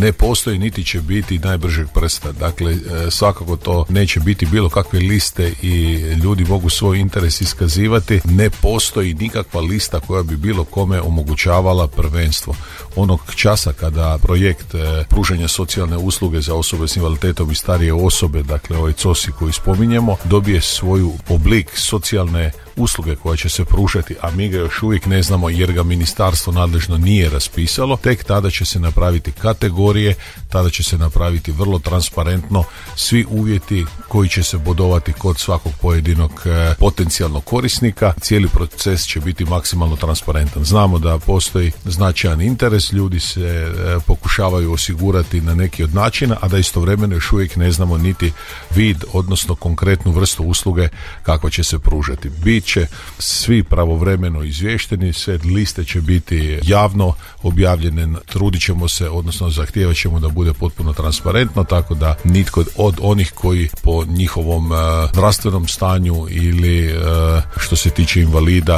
ne postoji niti će biti najbržeg prsta. Dakle, svakako to neće biti bilo kakve liste i ljudi mogu svoj interes iskazivati. Ne postoji nikakva lista koja bi bilo kome omogućavala prvenstvo. Onog časa kada projekt pružanja socijalne usluge za osobe s invaliditetom i starije osobe, dakle ovaj COSI koji spominjemo, dobije svoju oblik socijalne usluge koja će se pružati, a mi ga još uvijek ne znamo jer ga ministarstvo nadležno nije raspisalo, tek tada će se napraviti kategorije, tada će se napraviti vrlo transparentno svi uvjeti koji će se bodovati kod svakog pojedinog potencijalnog korisnika. Cijeli proces će biti maksimalno transparentan. Znamo da postoji značajan interes, ljudi se pokušavaju osigurati na neki od načina, a da istovremeno još uvijek ne znamo niti vid, odnosno konkretnu vrstu usluge kakva će se pružati. Bit će svi pravovremeno izvješteni, sve liste će biti javno objavljene, trudit ćemo se, odnosno zahtijevat ćemo da bude potpuno transparentno, tako da nitko od onih koji po njihovom zdravstvenom stanju ili što se tiče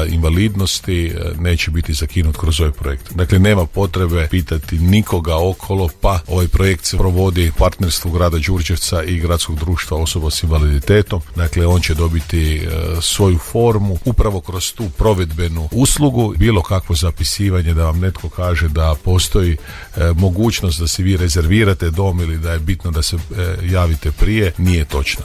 invalidnosti neće biti zakinut kroz ovaj projekt. Dakle, nema potrebe pitati nikoga okolo, pa ovaj projekt se provodi u partnerstvu grada Đurđevca i gradskog društva osoba s invaliditetom. Dakle, on će dobiti svoju formu upravo kroz tu provedbenu uslugu. Bilo kakvo zapisivanje da vam netko kaže da postoji mogućnost da si vi rezervirate dom ili da je bitno da se javite prije, nije točno.